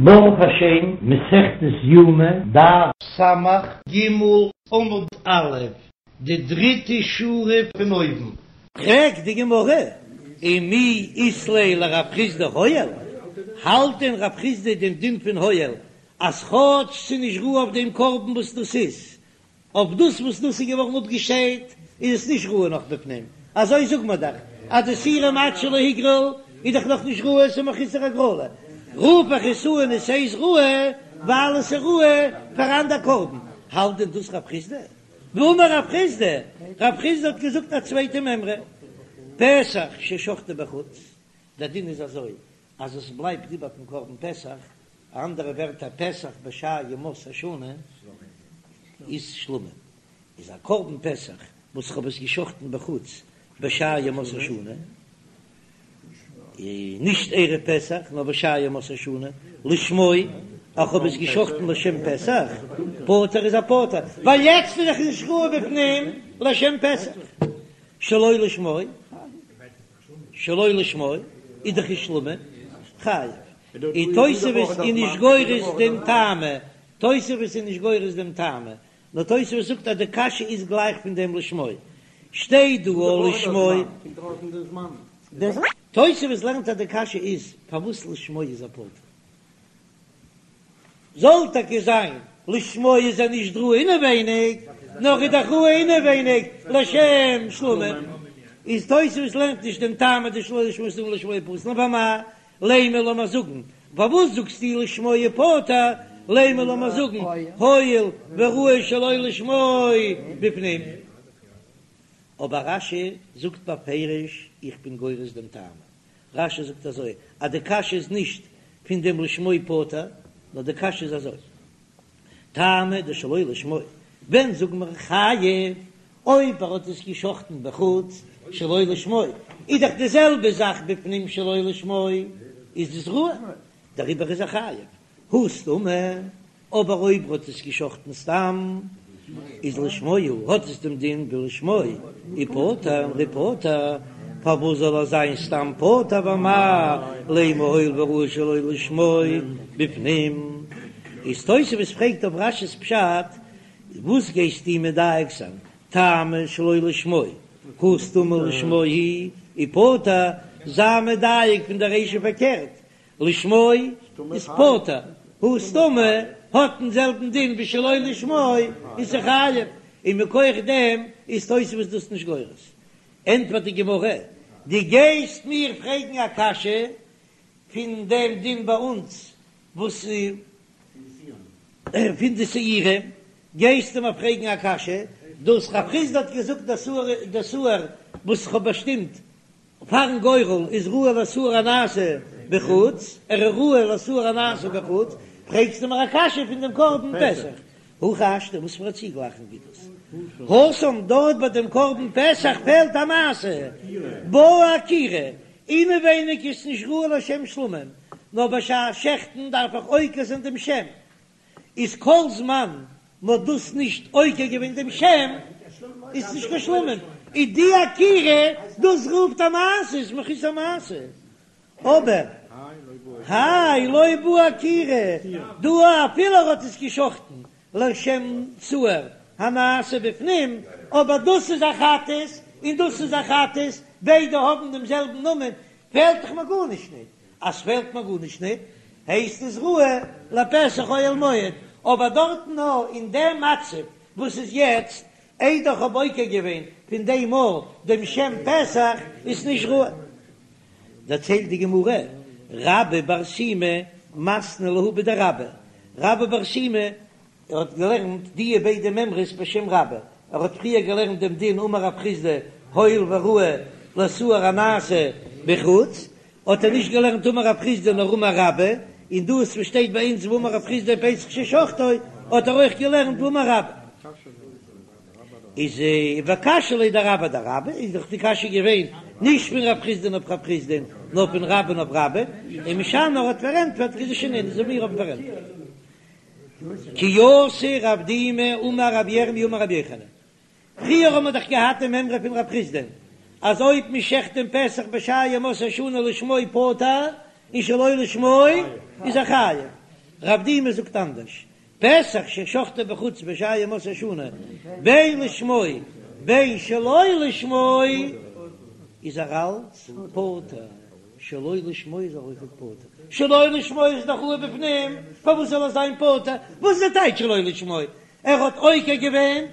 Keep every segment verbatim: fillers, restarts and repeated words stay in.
ברוך השם, מסכת יומא, דף סמך ג עמוד א', די דריטע שורה פון אויבן. פרעגט די גמרא, ומי אית ליה לרב חסדא הואיל, האלט דען רב חסדא דעם דין פון הואיל אז כאטש ס'איז נישט ראוי אויף דעם קרבן וואס דאס איז, אויף דאס וואס דאס איז געווארן אפגעשיידט איז עס נישט ראוי נאך בפנים, אזוי זאגט מען דאך אז די שעירים עד שלא הוגרל איז דאך נאך נישט ראוי, ס'איז מחוסר הגרלה, רוף איך עס אן עס הייסט ראוי ווייל עס איז ראוי פאר אנדער קרבן, האלט דען דאס רב חסדא? והאמר רב חסדא, רב חסדא האט געזאגט א צווייטע מימרא, פסח ששחטו בחוץ, דער דין איז אזוי אז עס בלייבט איבער פון קרבן פסח, אנדערע ווערטער פסח בשאר ימות השנה איז שלמים, איז א קרבן פסח וואס כ'האב עס געשחטן בחוץ בשאר ימות השנה, נישט ערב פסח נאר בשאר ימות השנה, לשמו, איך האב עס געשחטן לשם פסח, פטור איז ער פטור, ווייל יעצט איז דאך נישט ראוי בפנים לשם פסח, שלא לשמו. שלא לשמו איז דאך איז שלמים חייב, און תוספות איז נישט גורס דעם טעמא, תוספות איז נישט גורס דעם טעמא, נאר תוספות זאגט אז די קשיא איז גלייך פון דעם לשמו, שטייט דא או לשמו. תוספות לערנט אז די קשיא איז פארוואס לשמו איז ער פטור. זאל טאקע זיין לשמו איז ער נישט ראוי אינעווייניג, נאר איז דאך ראוי אינעווייניג לשם שלמים, איז תוספות לערנט נישט דעם טעם אז דשלא לשמו סתמא לשמו פסול, נאר ואמאי לימא לאמיר זאגן, פארוואס זאגסטו לשמו פטור, לימא לאמיר זאגן הואיל וראוי שלא לשמו בפנים, אבער רש"י זאגט בפירוש איך בין גורס דעם טעם, רש"י זאגט אזוי אז די קשיא איז נישט פון דעם לשמו פטור, נאר די קשיא איז אזוי, טעמא דשלא לשמו, ווען זאגן מיר חייב, אויב ער האט עס געשחטן בחוץ שלא לשמו, איז דאך די זעלבע זאך בפנים שלא לשמו, איז דאס ראוי, דעריבער איז ער חייב, הא סתמא, אבער אויב האט עס געשחטן סתם איז לשמו הוא, האט עס דעם דין ווי לשמו ופטור ופטור, פארוואס זאל ער זיין סתם פטור ואמאי לימא הואיל וראוי שלא לשמו בפנים? איז תוספות פרעגט אויף רש"י'ס פשט, וואס גייסטו מדייק זיין טעמא שלא לשמו הא סתמא לשמו הוא ופטור, זיי מדייק פון די רישא פארקערט לשמו איז פטור, הא סתמא האט דעם זעלבן דין ווי שלא לשמו איז חייב, און מכח דעם איז תוספות דאס נישט גורס. ענטפערט די גמרא, דו גייסט מיר פרעגן א קשיא פון דעם דין ביי אונז וואס פון די שעירים, גייסטו מיר פרעגן א קשיא, דאס רב חסדא האט געזאגט דער שעיר וואס איך האב באשטימט פארן גורל איז ראוי לשעיר הנעשה בחוץ, ער איז ראוי לשעיר הנעשה בחוץ, פרעגסטו מיר א קשיא פון דעם קרבן פסח, הכי השתא וואס פאר א צוגלייכונג איז דאס? התם דארט ביי דעם קרבן פסח פעלט א מעשה, בעי עקירה, אינעווייניג איז נישט ראוי לשם שלמים, נאר בשעת שעכטן דארף איך עוקר זיין דעם שם, איז כל זמן מ'האט דאס נישט עוקר געווען דעם שם, איז נישט קיין שלמים, איז די עקירה דאס רופט א מעשה, איז מחוסר מעשה, אבער האי לא בעי עקירה, דא אפילו ער האט עס געשחטן לשם שעיר הנעשה בפנים, אבער דאס איז א חטאת און דאס איז א חטאת, ביידע האבן דעם זעלבן נאמען, פעלט דאך מיר גארנישט ניט. אז ס'פעלט מיר גארנישט ניט, הייסט עס ראוי לפסח אוהל מועד, אבער דארטן נאר אין דעם מצב וואס איז יעצט, איידער כ'האב עוקר געווען פון דעם מאל דעם שם פסח, איז נישט ראוי. דערציילט די גמרא, רבה בר שימי מתני להו בדרבה, רבה בר שימי ער האט געלערנט דיע ביידע מימרות בשם רבה, ער האט פריער געלערנט דעם דין אמר רב חסדא הואיל וראוי לשעיר הנעשה בחוץ, האט ער נישט געלערנט אמר רב חסדא נאר אמר רבה, און דאס וואס שטייט ביי אונז ואמר רב חסדא פסח ששחטו האט ער אויך געלערנט ואמר רבה. איז וקשיא ליה דרבה אדרבה, איז דאך די קשיא געווען נישט פון רב חסדא'ן אויף רב חסדא'ן נאר פון רבה'ן אויף רבה, ומשני ער האט פארענטפערט כדשנין אזוי ווי מיר האבן פארענטפערט. כי אתא רב דימי אמר רבי ירמי' אמר רבי יוחנן, פריער האבן מיר דאך געהאט די מימרא פון רב חסדא'ן אז אויב מען שעכט דעם פסח בשאר ימות השנה לשמו פטור און שלא לשמו איז ער חייב, רב דימי זאגט אנדערש, פסח ששחטו בחוץ בשאר ימות השנה, בין לשמו בין שלא לשמו, איז ער אלץ פטור, שלא לשמו איז ער אויכעט פטור, שלא לשמו איז דאך ראוי בפנים, פארוואס זאל ער זיין פטור? וואס איז די טייטש שלא לשמו? ער האט עוקר געווען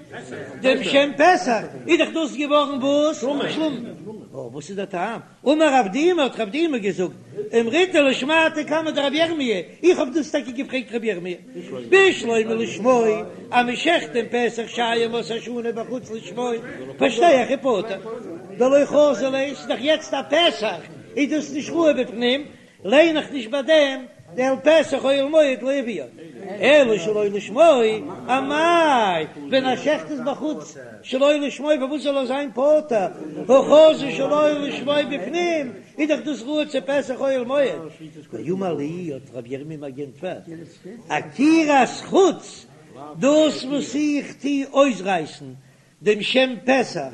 דעם שם פסח, איז דאך דאס געווארן וואס? שלמים. וואס איז דער טעם? אמר רב דימי, האט רב דימי געזאגט, אמריתה לשמעתיה קמיה דרבי ירמי', איך האב דאס טאקע געפרעגט רבי ירמי', בשלמא לשמו, אז מען שעכט דעם פסח שאר ימות השנה בחוץ לשמו, פארשטיי איך איז פטור, דלא חזי ליה, ס'איז דאך יעצט א פסח, איז דאס נישט ראוי בפנים, ליין איך נישט ביי דעם דאל פתח אוהל מועד לא הביאו, אלא שלא לשמו, אמאי, ווען ער שעכט עס בחוץ שלא לשמו פארוואס זאל ער זיין פטור, הא חזי שלא לשמו בפנים, איז דאך דאס ראוי צו פתח אוהל מועד. ואמר לי, האט רבי ירמי' מיר גענטפערט, עקירת חוץ, דאס וואס איך טו אויסרייסן דעם שם פסח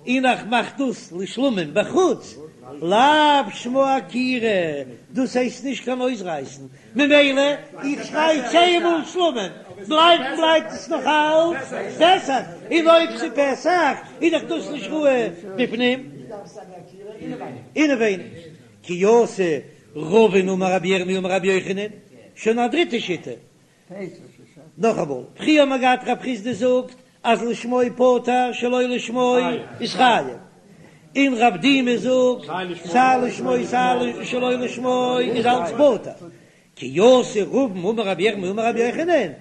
און איך מאך דאס לשלמים בחוץ, לאו שמה עקירה, דאס הייסט נישט קיין אויסרייסן, ממילא איך שריי צען מאל שלמים, בלייבן בלייבט עס נאך אלץ פסח, און אויב ס'איז פסח איז דאך דאס נישט ראוי בפנים. אינעווייניג, כי אתא רבין אמר רבי ירמי' אמר רבי יוחנן, שוין א דריטע שיטה, נאכאמאל, פריער האט מען געהאט רב חסדא זאגט אז לשמו פטור שלא לשמו איז חייב, און רב דימי זאגט סיי לשמו סיי שלא לשמו איז אלץ פטור, כי אתא רבין אמר רבי ירמי' אמר רבי יוחנן,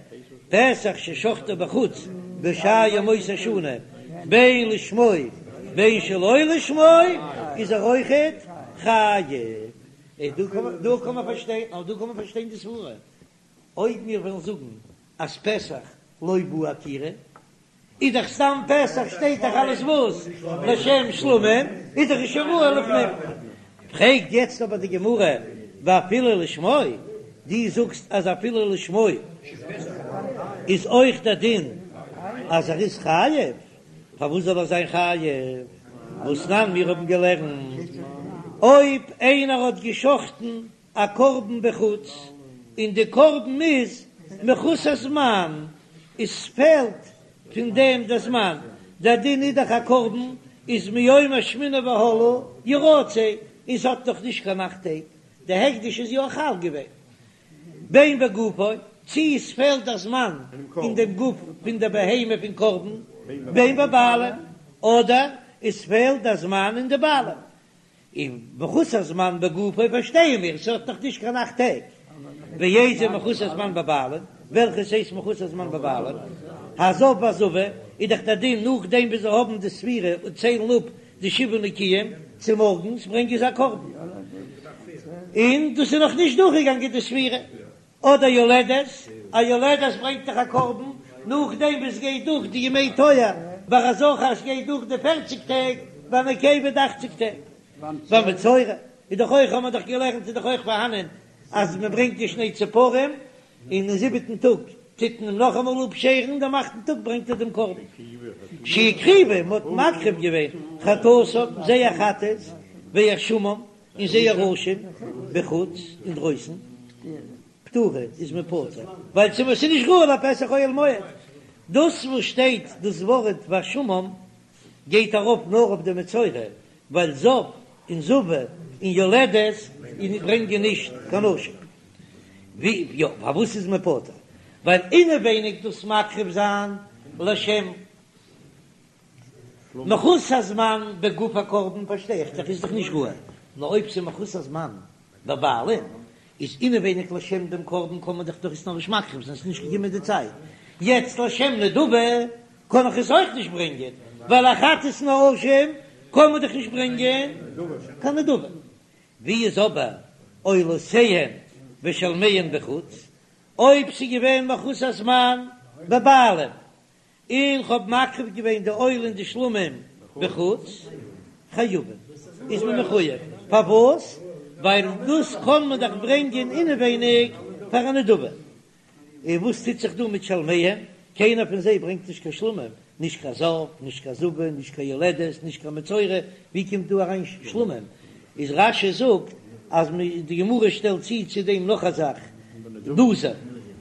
פסח ששחטו בחוץ בשאר ימות השנה בין לשמו בין שלא לשמו איז ער אויכעט חייב. דא קען מען פארשטיין, דא קען מען פארשטיין די סברה. אויב מיר וועלן זאגן אז פסח לא בעי עקירה, איז דאך סתם פסח שטייט דאך אלעס וואס לשם שלמים, איז דאך שוין ראוי לפנים. פרעגט יעצט אבער די גמרא ואפילו לשמו, דו זאגסט אז אפילו לשמו איז אויך דער דין אז ער איז חייב, פארוואס זאל ער זיין חייב? והתנן מיר האבן געלערנט אויב איינער האט געשחטן א קרבן בחוץ, און די קרבן איז מחוסר זמן, עס פעלט פון דעם דער זמן, דער דין איז דאך א קרבן איז מיום השמיני והלאה ירצה, און ס'האט נאך נישט קיין אכט טעג, די הקדש איז יא חל געווען, בין בגופו, צי עס פעלט דער זמן אין דעם גוף פון דער בהמה פון קרבן, בין בבעלים, אדער עס פעלט דער זמן אין די בעלים, און מחוסר זמן בגופו פארשטייען מיר, ס'האט נאך נישט קיין אכט טעג. ואיזה מחוסר זמן בבעלים, וועלכעס הייסט מחוסר זמן בבעלים? הזב והזבה, איז דאך דער דין נאכדעם ווי זיי האבן די ספירה און ציילן אפ די שבעה נקיים, צומארגנס ברענגען זיי א קרבן, און דאס איז נאך נישט דורכגעגאנגען די ספירה. אדער יולדת, א יולדת ברענגט דאך א קרבן נאכדעם וואס גייט דורך די ימי טוהר, ביי א זכר עס גייט דורך די פערציג טעג, ביי א נקבה די אכציג טעג. והמצורע איז דאך אויך, האבן מיר דאך געלערנט, איז דאך אויך פארהאנען אז מען ברענגט די שני ציפורים, און אין זיבעטן טאג טוט מען אים נאכאמאל אפשערן, דעם אכטן טאג ברענגט ער דעם קרבן. שהקריבו, מען האט מקריב געווען חטאתם, זייער חטאת, ואשמם, און זייער אשם בחוץ אינדרויסן פטורין איז מען פטור ווייל צו ס'איז נישט ראוי לפתח אוהל מועד דאס וואס שטייט דאס ווארט ואשמם גייט ארויף נאר אויף די מצורע ווייל זב און זבה און יולדת און ברענגען נישט קיין אשם ווי יא פארוואס איז מען פטור ווייל אינעווייניג דאס מקריב זיין לשם מחוסר זמן בגוף הקרבן פארשטיי איך דאך איז דאך נישט ראוי, נאר אויב ס'איז מחוסר זמן בבעלים איז אינעווייניג לשם דעם קרבן קען מען דאך דאך עס נאכנישט מקריב זיין ס'איז נישט געקומען די צייט, יעצט לשם נדבה קען איך עס אויך נישט ברענגען ווייל א חטאת און א אשם קען מען דאך נישט ברענגען קיין נדבה, ווי איז אבער עולותיהן ושלמיהן בחוץ אויב ס'איז געווען מחוסר זמן בבעלים און כ'האב מקריב געווען די עולה און די שלמים בחוץ, חייבים, איז מען מחויב, פארוואס? ווייל דאס קען מען דאך ברענגען אינעווייניג פאר א נדבה, און וואס טוט זיך דא מיט שלמיהם? קיינער פון זיי ברענגט נישט קיין שלמים, נישט קיין זב, נישט קיין זבה, נישט קיין יולדת, נישט קיין מצורע, ווי קומט דא אריין שלמים? איז רש"י זאגט אז די גמרא שטעלט צו צו דעם נאך א זאך, נזיר,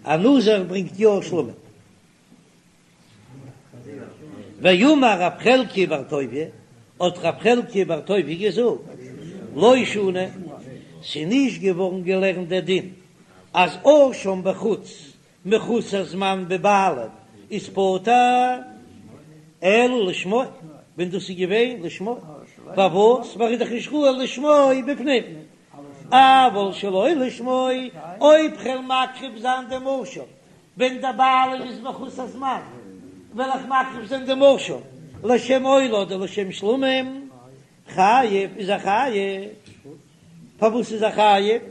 א נזיר ברענגט יא שלמים. ואמר רב חלקיה בר טוביה, האט רב חלקיה בר טוביה געזאגט, לא שנו, ס'איז נישט געווארן געלערנט דער דין אז אשם בחוץ מחוסר זמן בבעלים איז פטור, אלא לשמו, ווען דאס איז געווען לשמו, פארוואס? ווייל ער איז דאך נישט ראוי לשמו בפנים, אבל שלא לשמו, אויב כ'וועל מקריב זיין דעם אשם ווען דער בעלים איז מחוסר זמן, וועל איך מקריב זיין דעם אשם לשם עולה אדער לשם שלמים, חייב איז ער חייב. פארוואס איז ער חייב?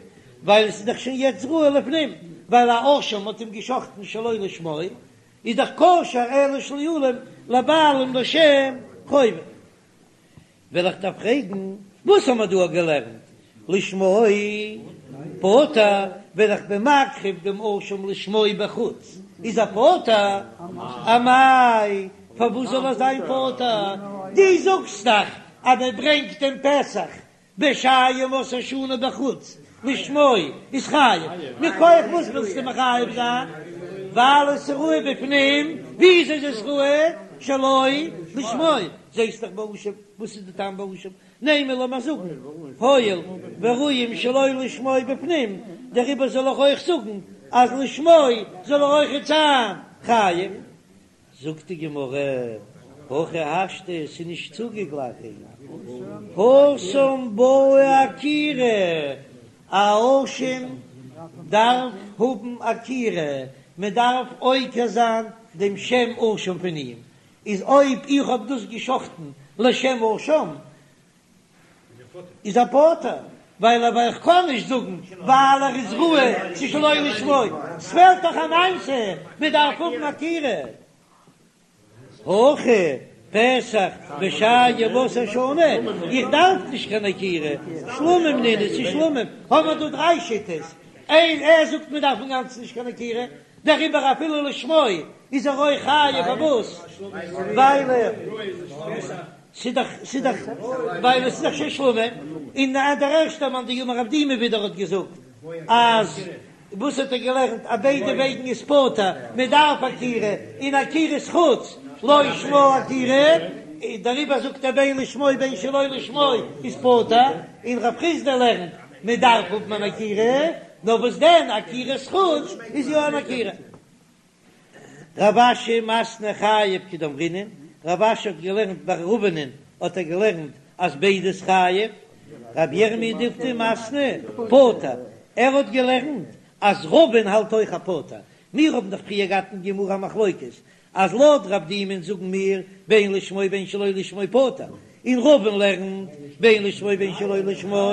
ווייל עס איז דאך שוין יעצט ראוי לפנים, ווייל א אשם האט אים געשחטן שלא לשמו, איז דאך כשר אלא שלא לבעלים לשם חובה. וועל איך דיר פרעגן, וואס האמער דא געלערנט? לשמו פטור, ווען איך בין מקריב דעם אשם לשמו בחוץ, איז ער פטור? אמאי, פארוואס זאל ער זיין פטור? דו זאגסט דאך אז מען ברענגט דעם פסח בשאר ימות השנה בחוץ לשמו איז חייב, מכח וואס ווילסטו מחייב זיין? ווייל עס איז ראוי בפנים, וויאזוי איז עס ראוי שלא לשמו? זעסט דאך באשם, וואס איז די טעם באשם? נימא לאמיר זאגן הואיל וראויים שלא לשמו בפנים, דעריבער זאל איך אויך זאגן אז לשמו זאל ער אויכעט זיין חייב. זאגט די גמרא, הכי השתא, ס'איז נישט צוגעגליכן, התם בעי עקירה, א אשם דארף האבן עקירה, מען דארף עוקר זיין דעם שם אשם פון אים, איז אויב איך האב דאס געשחטן לשם אשם, איז ער פטור, ווייל אבער איך קען נישט זאגן ווייל ער איז ראוי צו שלא לשמו, ס'פעלט דאך א מעשה, מען דארף האבן עקירה. הכא פסח בשאר ימות השנה, איך דארף נישט קיין עקירה, שלמים נינהו ס'איז שלמים, האבן מיר דא דריי שיטות, איין ער זאגט מען דארף אינגאנצן נישט קיין עקירה, דעריבער אפילו לשמו איז ער אויך חייב, פארוואס? ווייל ער. ס'איז דאך, ס'איז דאך, ווייל עס איז דאך שוין שלמים, און דער ערשטער מאן דאמר רב דימי ווידער האט געזאגט אז וואס האט ער געלערנט אז ביידע וועגן איז פטור, מען דארף עקירה, און עקירת חוץ לא שמה עקירה, דעריבער זאגט ער בין לשמו בין שלא לשמו איז פטור, און רב חסדא לערנט מען דארף האבן אן עקירה, נאר וואס דען עקירת חוץ איז יא אן עקירה. רב אשי מתני חייב כדאמרינן, רב אשי האט געלערנט ביי רבינ'ען האט ער געלערנט אז ביידע איז חייב, רב ירמי' דיפתי מתני פטור, ער האט געלערנט אז רבין האלט אויך א פטור, מיר האבן דאך פריער געהאט אין גמרא א מחלוקת אז לויט רב דימי'ן זאגן מיר בין לשמו בין שלא לשמו פטור, און רבין לערנט בין לשמו בין שלא לשמו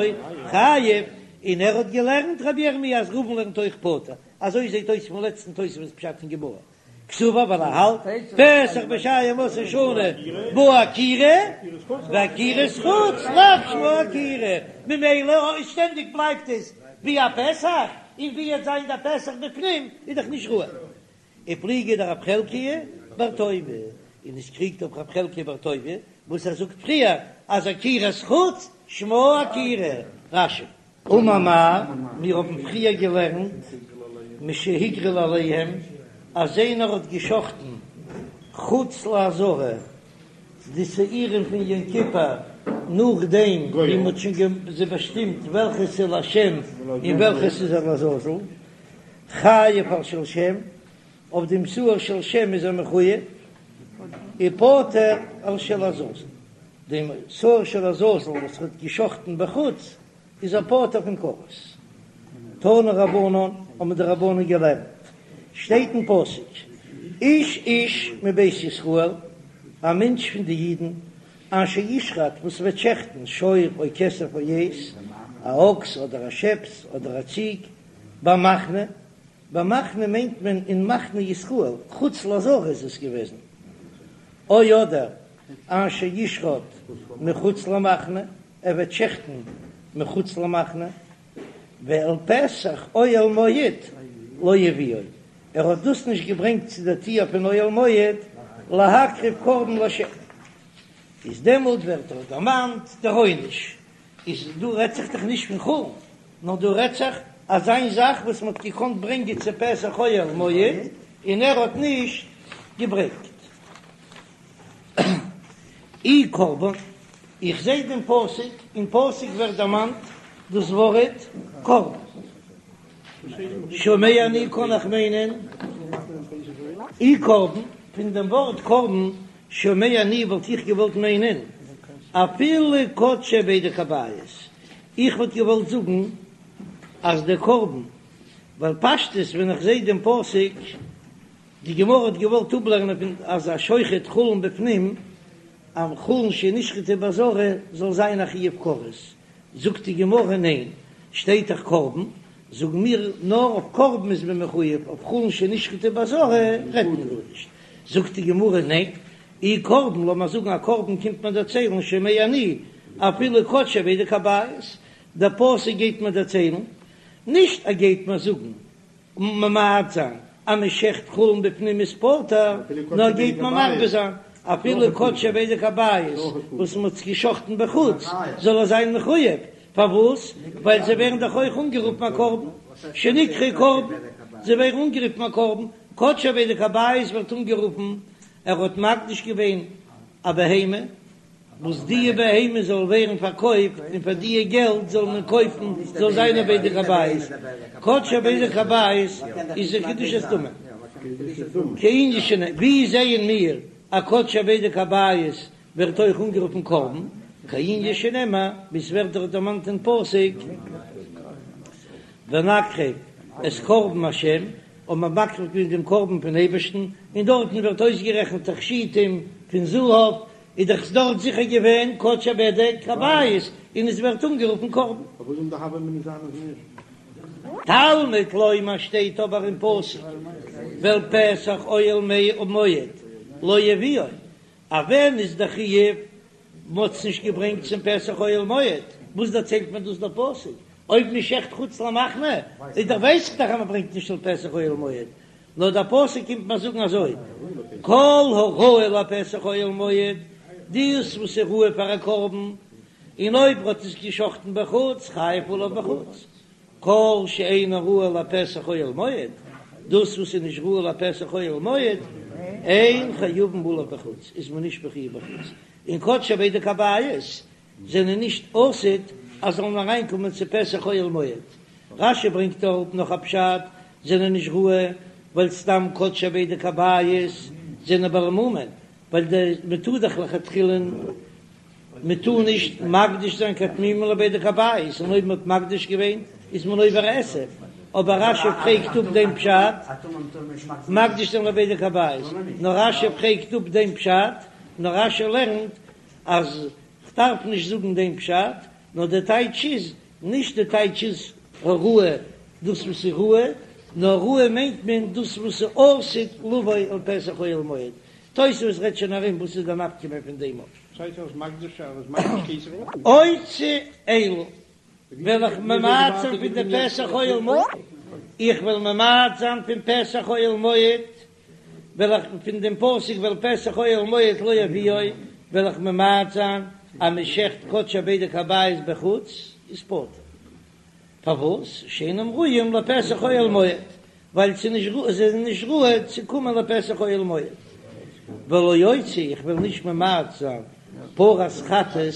חייב, און ער האט געלערנט רב ירמי' אז רבין לערנט אויך פטור, אזוי זעט אויס פון לעצטן תוספות פשט אין גמרא, קסבר ווייל ער האלט פסח בשאר ימות השנה בעי עקירה ועקירת חוץ לאו שמה עקירה, ממילא אויב שטענדיג בלייבט עס ווי א פסח, און ווי עט זיין דער פסח בפנים איז דאך נישט ראוי. ופליגא דרב חלקיה בר טוביה, און עס קריגט אויף רב חלקיה בר טוביה וואס ער זאגט פריער אז עקירת חוץ שמה עקירה, רש"י. אמר מר, מיר האבן פריער געלערנט משהגריל עליהם אז איינער האט געשחטן חוץ לעזרה די שעירים פון יום כיפור נאכדעם ווי מען האט שוין זיי באשטימט וועלכע ס'איז לשם און וועלכע ס'איז לעזאזל, חייב על של שם, אויף דעם שעיר של שם איז ער מחויב, ופטור על של עזאזל, דעם שעיר של עזאזל וואס האט געשחטן בחוץ איז ער פטור פון כרת. תנו רבנן, האבן די רבנן געלערנט, שטייט אין פסוק, איש איש מבית ישראל, א מענטש פון די אידן, אשר ישחט, וואס וועט שעכטן, שור או כשב או עז, א אקס אדער א שעפס אדער א ציג, במחנה, במחנה מיינט מען אין מחנה ישראל, חוץ לעזרה איז עס געוועזן, או אדער אשר ישחט מחוץ למחנה, ער וועט שעכטן מחוץ למחנה, ואל פתח אוהל מועד לא הביאו, ער האט דאס נישט געברענגט צו דער טיר פון אוהל מועד להקריב קרבן לשם, איז דעמאלט ווערט דאך דערמאנט דער עונש, איז דא רעדט זיך דאך נישט פון חולין, נאר דא רעדט זיך אזיין זאך וואס מ'האט געקאנט ברענגען צו פתח אוהל מועד און ער האט נישט געברענגט. אי קרבן, איך זע דעם פסוק, אין פסוק ווערט דערמאנט דאס ווארט קרבן. שומע אני קאן איך מיינען אי קרבן, פון דעם ווארט קרבן שומע אני וואלט איך געוואלט מיינען אפילו קדשי בדק הבית, איך וואלט געוואלט זאגן אז דער קרבן, ווייל פשטות ווען איך זע דעם פסוק, די גמרא האט געוואלט אפלערנען פון אז א שוחט חולין בפנים, אז חולין שנשחטו בעזרה זאל זיין א חיוב כרת, זאגט די גמרא ניין, שטייט דאך קרבן, זאגן מיר נאר אויף קרבן איז מען מחויב, אויף חולין שנשחטו בעזרה רעדט מען גארנישט, זאגט די גמרא ניין, אי קרבן, לאמיר זאגן א קרבן קומט מען דערציילן שומע אני, אפילו קדשי בדק הבית, דער פסוק גייט מיר דערציילן, נישט ער גייט מיר זאגן ממעט זיין אז מען שעכט חולין בפנים איז פטור, נאר גייט מען מרבה זיין אפילו קדשי בדק הבית וואס מען האט געשחטן בחוץ זאל ער זיין מחויב, פארוואס? ווייל זיי ווערן דאך אויך אנגערופן א קרבן, שנקראו קרבן, זיי ווערן אנגערופן א קרבן, קדשי בדק הבית ווערט אנגערופן ער האט מקדיש געווען א בהמה, וואס די בהמה זאל ווערן פארקויפט און פאר די געלט זאל מען קויפן זאל זיין א בדק הבית, קדשי בדק הבית איז א קדושת דמים, כענין שנ, ווי זעען מיר אז קדשי בדק הבית ווערט אויך אנגערופן קרבן, כענין שנאמר ווי ס'ווערט דארט דערמאנט אין פסוק ונקריב את קרבן השם, האט מען מקריב געווען דעם קרבן פון אייבערשטן, און דארטן ווערט אויסגערעכנט תכשיטים פון זהב, איז דאך דארט זיכער געווען קדשי בדק הבית און עס ווערט אנגערופן קרבן. פארוואס זאל די הוה אמינא זיין אז נישט? תלמוד לומר שטייט אבער אין פסוק ואל פתח אוהל מועד לא יביאו, אז ווען איז די חיוב מ'האט עס נישט געברענגט צום פתח אוהל מועד, וואס דערציילט מיר דאס דער פסוק? אויב מ'שעכט חוץ למחנה איז דאך ווייס איך דאך אז מ'ברענגט נישט אל פתח אוהל מועד, נאר דער פסוק קומט מיר זאגן אזוי, כל הראוי לפתח אוהל מועד, דאס וואס איז ראוי פאר א קרבן, און אויב האט עס געשחטן בחוץ, חייב עליו בחוץ, כל שאינו ראוי לפתח אוהל מועד, דאס וואס איז נישט ראוי לפתח אוהל מועד, אין חייבין עליו בחוץ, איז מען נישט מחויב בחוץ, און קדשי בדק הבית זענען נישט עתיד אז זאלן אריינקומען צו פתח אוהל מועד. רש"י ברענגט אראפ נאך א פשט, זענען נישט ראוי ווייל סתם קדשי בדק הבית זענען בעלי מומין, ווייל די מען טאר דאך לכתחילה מען טאר נישט מקדיש זיין קיין תמימים לבדק הבית, און אויב מען האט מקדיש געווען איז מען עובר עשה, אבער רש"י פרעגט אפ דעם פשט, מקדיש זיין לבדק הבית, נאר רש"י פרעגט אפ דעם פשט, נאר רש"י לערנט אז כ'דארף נישט זאגן דעם פשט, נאר דער טייטש איז, נישט די טייטש איז הראוי דאס וואס איז ראוי, נאר ראוי מיינט מען דאס וואס איז עתיד לבוא אל פתח אוהל מועד. תוספות רעדט שוין ארום וואס איז די נפקא מינה פון דעם אויף. ס'הייסט אז מקדיש אז מקדיש כסף אויך. אוציא אלו, וועל איך ממעט זיין פון די פתח אוהל מועד, איך וועל ממעט זיין פון פתח אוהל מועד, וועל איך פון דעם פסוק ואל פתח אוהל מועד לא יביאו, וועל איך ממעט זיין אז מען שעכט קדשי בדק הבית בחוץ איז פטור. פארוואס? שאינם ראויים לפתח אוהל מועד, ווייל ס'איז נישט ראוי, זיי זענען נישט ראוי צו קומען לפתח אוהל מועד. ולא אוציא, איך וועל נישט ממעט זיין פרת חטאת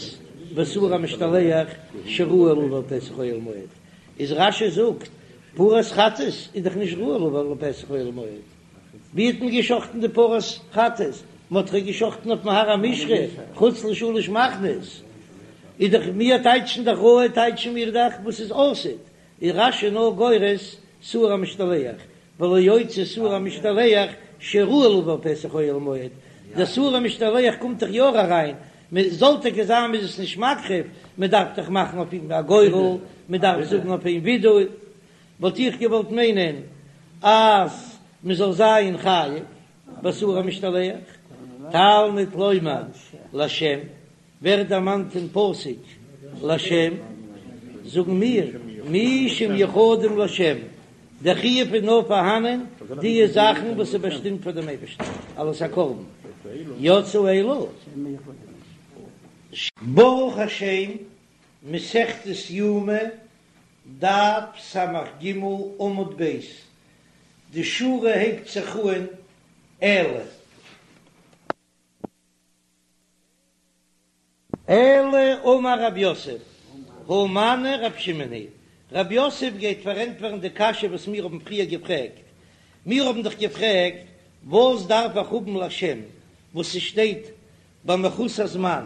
ושעיר המשתלח שראוי לבוא אל פתח אוהל מועד. איז רש"י זאגט, פרת חטאת איז דאך נישט ראוי לבוא לפתח אוהל מועד. ווי האט מען געשחטן די פרת חטאת? מען האט דאך געשחטן אויפן הר המשחה, חוץ לשלש מחנות. איז דאך מיר טייטשן דאך ראוי טייטשן מיר דאך וואס איז עתיד, איז רש"י נאר גורס שעיר המשתלח, ולא אוציא שעיר המשתלח שראוי לבוא לפתח אוהל מועד, דער שעיר המשתלח קומט דאך יא אריין, מען זאל טאקע זיין מען איז עס נישט מקריב, מען דארף דאך מאכן אויף אים א גורל, מען דארף זאגן אויף אים וידוי, וואלט איך געוואלט מיינען אז מען זאל זיין חייב בשעיר המשתלח, תלמוד לומר לשם, ווערט דערמאנט אין פסוק לשם, זאגן מיר מי שמיוחדים לשם, דער חיוב איז נאר פארהאנען די זאכן וואס איז באשטימט פאר דעם אייבערשטן אלס א קרבן, יצאו אלו. ברוך השם, מסכת יומא, דף ס"ג עמוד ב', די שורה הייבט זיך אן אלא. אלא אמר רב יוסף, הא מני רב שמעון היא, רב יוסף גייט פארענטפערן די קשיא וואס מיר האבן פריער געפרעגט, מיר האבן דאך געפרעגט וואס דארף איך האבן לשם וואס ס'שטייט ביי מחוסר זמן,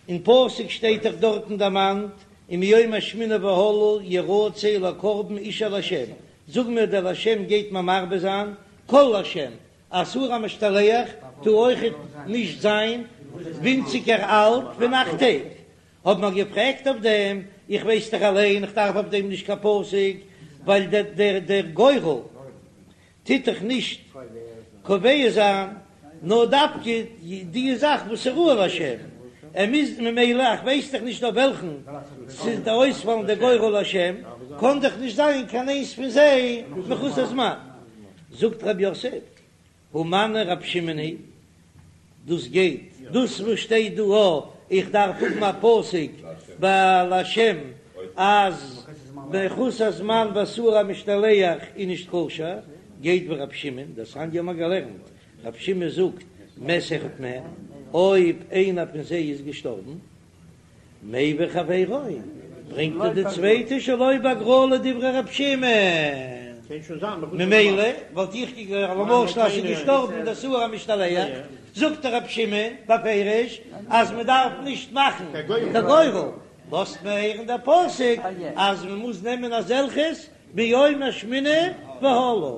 אין פסוק שטייט דאך דארטן דערמאנט ומיום השמיני והלאה ירצה לקרבן אשה לשם, זאג מיר דער לשם גייט מיר מרבה זיין כל לשם, א שעיר המשתלח טאר אויכעט נישט זיין ווינציגער אלט פון אכט טעג, האט מען געפרעגט אויף דעם, איך ווייס דאך אליין איך דארף אויף דעם נישט קיין פסוק, ווייל דער דער גורל טוט דאך נישט קובע זיין נאר דווקא די זאך וואס איז ראוי לשם, ער מוז ממילא איך ווייס דאך נישט אויף וועלכן ס'איז דער אויספאלן דער גורל לשם, קען דאך נישט זיין קיין איינס פון זיי מחוסר זמן. זאגט רב יוסף, הא מני רב שמעון היא, דאס גייט, דאס וואס שטייט דא א, איך דארף האבן א פסוק ביי לשם אז מחוסר זמן ושעיר המשתלח איז נישט כשר, גייט ווי רב שמעון, דתניא האבן מיר געלערנט, רב שמעון זאגט מת אחד מהם, אויב איינער פון זיי איז געשטארבן, מביא חברו, ברענגט ער די צווייטע שלא בהגרלה דברי רב שמעון, ממילא וואלט איך געגלייבט למשל אז ס'איז געשטארבן דער שעיר המשתלח, זאגט דער רב שמעון בפירוש אז מען דארף נישט מאכן קיין גורל, לאזט מען הערן דער פסוק אז מען מוז נעמען אזעלכעס מיום השמיני והלאה.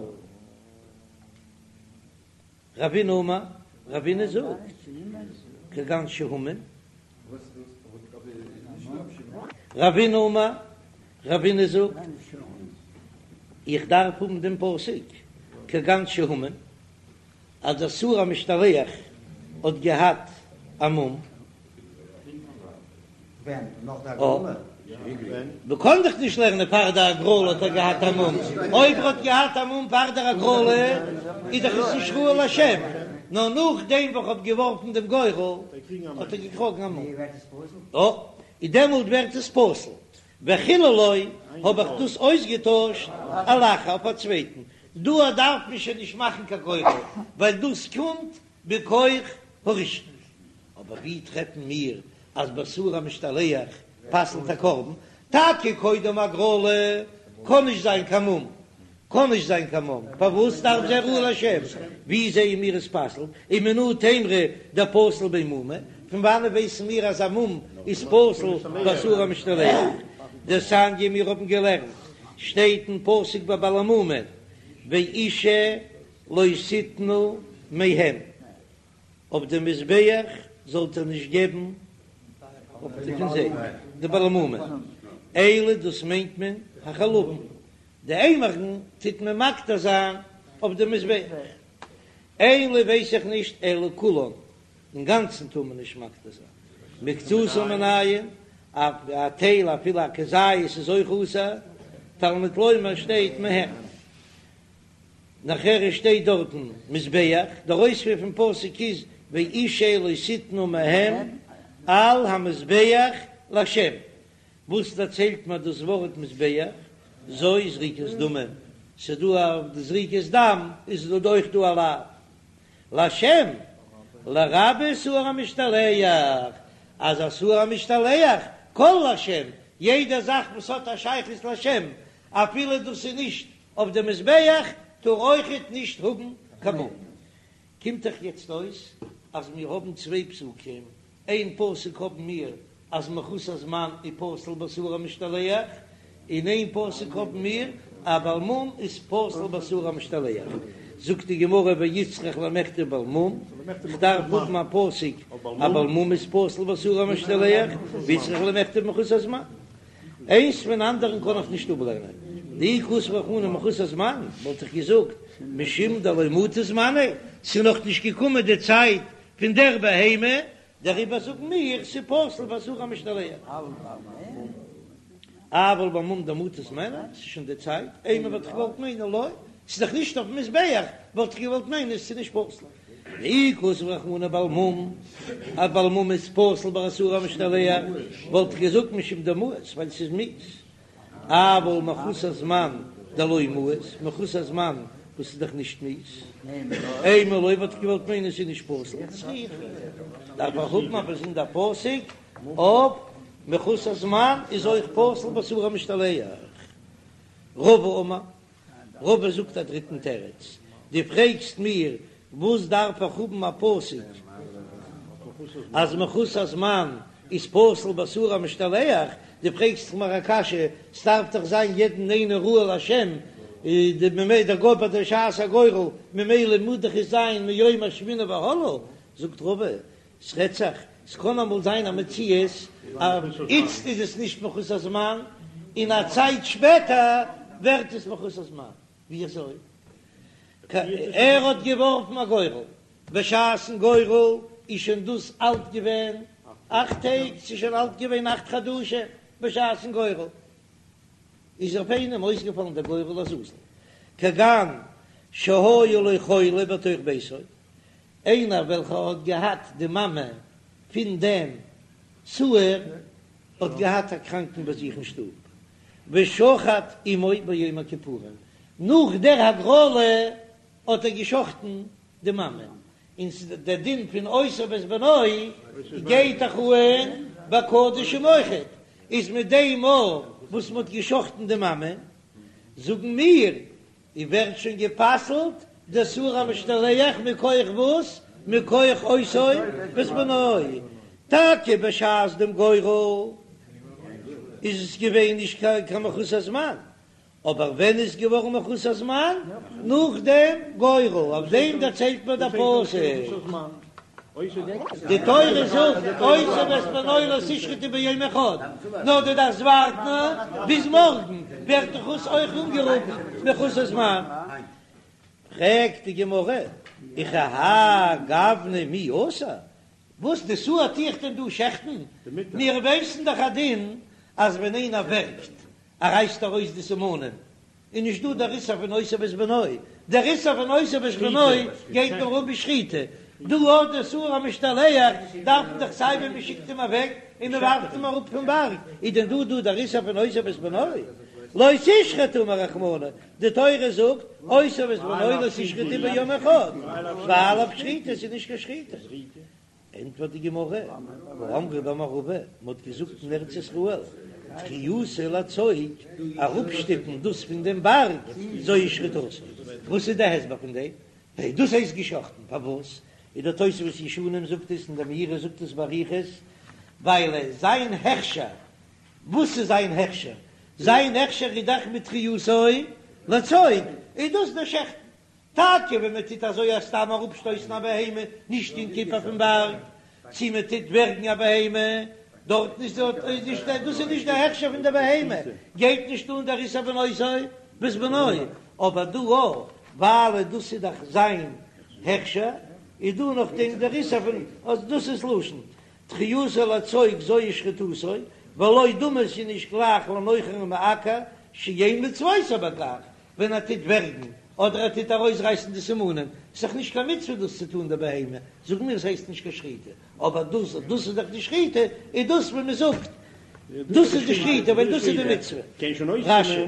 רבינא אמר, רבינא זאגט, כגון שהומם. רבינא אמר, רבינא זאגט, איך דארף האבן דעם פסוק, כגון שהומם, אז דער שעיר המשתלח האט געהאט א מום. ווען? נאך די הגרלה? מען קען דאך נישט לערנען פאר די הגרלה האט ער געהאט א מום, אויב ער האט געהאט א מום פאר דער הגרלה איז דאך עס נישט ראוי לשם, נאר נאכדעם וואס כ'האב געווארפן דעם גורל האט ער געקראגן א מום, און דעמאלט ווערט עס פסול, וחיללו האב איך דאס אויסגעטוישט על אחר אויף א צווייטן, דא דארף מען שוין נישט מאכן קיין גורל ווייל דאס קומט בכח הראשון. אבער ווי טרעפן מיר אז ביי שעיר המשתלח פסל'ט א קרבן? טאקע קודם הגרלה קען נישט זיין קיין מום, קען נישט זיין קיין מום, פארוואס דארף זיין ראוי לשם? ווי זעען מיר עס פסל'ט? ומנא תימרא דפסיל ביה מומא, פון וואנעט ווייסן מיר אז א מום איז פסול ביי שעיר המשתלח? דתניא מיר האבן געלערנט, שטייט אין פסוק ביי בעלי מומין, ואשה לא תתנו מהם. אויף דעם מזבח זאלט איר נישט געבן פון זיי, די בעלי מומין, אלו דאס מיינט מען החלבים, די אימורין טוט מען מקטיר זיין אויף דעם מזבח, אין לי ווייס איך נישט אלא כולן, אינגאנצן טאר מען נישט מקטיר זיין, מקצתן מנין, א טייל אפילו א כזית איז אויך אסור, תלמוד לומר שטייט מהם. נאכער שטייט דארטן מזבח, דער אויספיר פון פסוק איז ואשה לא תתנו מהם על המזבח לה', וואס דערציילט מיר דאס ווארט מזבח? זו זריקת דמים, ס'איז דא אויף די זריקת דם איז דא אויך דא א לאו לה' לרבות שעיר המשתלח, אז א שעיר המשתלח כל לה', יעדע זאך וואס האט א שייכות לה' אפילו דאס איז נישט אויף די מזבח טאר אויכעט נישט האבן קיין מום. קומט דאך יעצט אויס אז מיר האבן צוויי פסוקים, איין פסוק האבן מיר אז מחוסר זמן איז פסול בשעיר המשתלח, און איין פסוק האבן מיר אז בעל מום איז פסול בשעיר המשתלח. זאגט די גמרא ואיצטריך למיכתב בעל מום, כ'דארף האבן א פסוק אז בעל מום איז פסול בשעיר המשתלח, ואיצטריך למיכתב מחוסר זמן. איינס פון אנדערן קען איך נישט אפלערנען. דאי כתב רחמנא מחוסר זמן, וואלט איך געזאגט משום דלא מטא זמניה, ס'איז נאך נישט געקומען די צייט פון דער בהמה, דעריבער זאגן מיר ס'פסול בשעיר המשתלח. אבל בעל מום דמטא זמניה, ס'איז שוין די צייט, אימא וואלט איך געוואלט מיינען לא, ס'איז דאך נישט אויפן מזבח, וואלט איך געוואלט מיינען ס'איז נישט פסול. ואי כתב רחמנא בעל מום, אז בעל מום איז פסול ביי א שעיר המשתלח, וואלט איך געזאגט משום דמאיס, ווייל ס'איז מיאוס. אבל מחוסר זמן דלא מאיס, מחוסר זמן וואס איז דאך נישט מיאוס, אימא לא וואלט איך געוואלט מיינען ס'איז נישט פסול, צריכא, דארף איך האבן א באזונדער פסוק אויף מחוסר זמן איז אויך פסול בשעיר המשתלח. רבא אמר, רבא זאגט א דריטן תירוץ, דו פרעגסט מיר וואס דארף איך האבן א פסוק אז מחוסר זמן איז פסול בשעיר המשתלח, דו פרעגסט מיר א קשיא, ס'דארף דאך זיין יעדן איינער ראוי להשם, ממילא דער גוי ביי דער שעת הגורל, ממילא מוז דאך עס זיין מיום השמיני והלאה, זאגט רבא, ס'רעדט זיך, ס'קען אמאל זיין א מציאות אז איצט איז עס נישט מחוסר זמן, און א צייט שפעטער ווערט עס מחוסר זמן. ווי אזוי? ער האט געווארפן א גורל, בשעת'ן גורל איז שוין דאס אלט געווען אכט טעג, ס'איז שוין אלט געווען אכט חדשים בשעת'ן גורל, איז אויף איינעם אויסגעפאלן דער גורל לעזאזל, כגון שהיה לו חולה בתוך ביתו, איינער וועלכער האט געהאט די מאמע פון דעם שעיר האט געהאט א קראנקן ביי זיך אין שטוב, ושחט אמו ביום הכיפורים, נאך דער הגרלה האט ער געשחטן די מאמע, און דער דין פון אותו ואת בנו גייט דאך אן ביי קדשים אויכעט, איז מיט דעם מאל וואס מען האט געשחטן די מאמע, זאגן מיר און ווערט שוין גע'פסל'ט דער שעיר המשתלח מכח וואס? מכח אותו ואת בנו. טאקע בשעת דעם גורל איז עס געווען נישט קיין מחוסר זמן, אבער ווען איז געווארן מחוסר זמן? נאך דעם גורל, אויף דעם דערציילט מיר דער פסוק. די תורה זאגט אותו ואת בנו לא תשחטו ביום אחד, נאר דו דארפסט ווארטן ביז מארגן, ווערט דאך עס אויך אנגערופן מחוסר זמן. פרעגט די גמרא, וכי האי גוונא מי אסור, וואס די שעיר טו איך דען דא שעכטן, מיר ווייסן דאך א דין אז ווען איינער ווערגט, ער רייסט ארויס די סימנים, איז נישט דא דער איסור פון אותו ואת בנו, דער איסור פון אותו ואת בנו גייט נאר אן בשחיטה, דא אט דער שעיר המשתלח דארף מען דאך סיי ווי מען שיקט אים אוועק און מען ווארפט אים אראפ פון בארג, איז דען דא דא דער איסור פון אותו ואת בנו? לא תשחטו אמר רחמנא, די תורה זאגט אותו ואת בנו לא תשחטו ביום אחד, והאי לאו שחיטה, עס איז נישט קיין שחיטה. ענטפערט די גמרא, האמרי במערבא, מען האט געזאגט אין ארץ ישראל, דחייתו לצוק, אראפשטופן דאס פון דעם בארג, זוהי שחיטתו. וואס איז די הסבר פון דעם? דאס הייסט געשחטן, פארוואס? איז דער תוספות ישנים זאגט עס און דער מאירי זאגט עס באריכות, ווייל זיין הכשר, וואס איז זיין הכשר? זיין הכשר איז דאך מיט דחייתו לצוק, איז דאס דער שעכטן. טאקע ווען מען טוט אזוי א סתם אראפשטויסן א בהמה נישט אין כיפה פון בארג, צי מען טוט ווערגן א בהמה, דארטן איז נישט דאס איז נישט די הכשר פון די בהמה, גייט נישט אן דער איסור פון אותו ואת בנו, אבער דא א ווייל דאס איז דאך זיין הכשר, איז דא נאכדעם דער איסור פון אז דאס איז לשון דחייתו לצוק זוהי שחיטתו, ולא דמי ס'איז נישט גלייך לנוחר ומעקר שאין מצוותו בכך, ווען ער טוט ווערגן אדער ער טוט ארויסרייסן די סימנים, איז דאך נישט קיין מצוה דאס צו טון די בהמה, זאגן מיר עס הייסט נישט קיין שחיטה, אבער דאס דאס איז דאך די שחיטה, איז דאס ווען מען זאגט דאס איז די שחיטה ווייל דאס איז די מצוה. רש"י.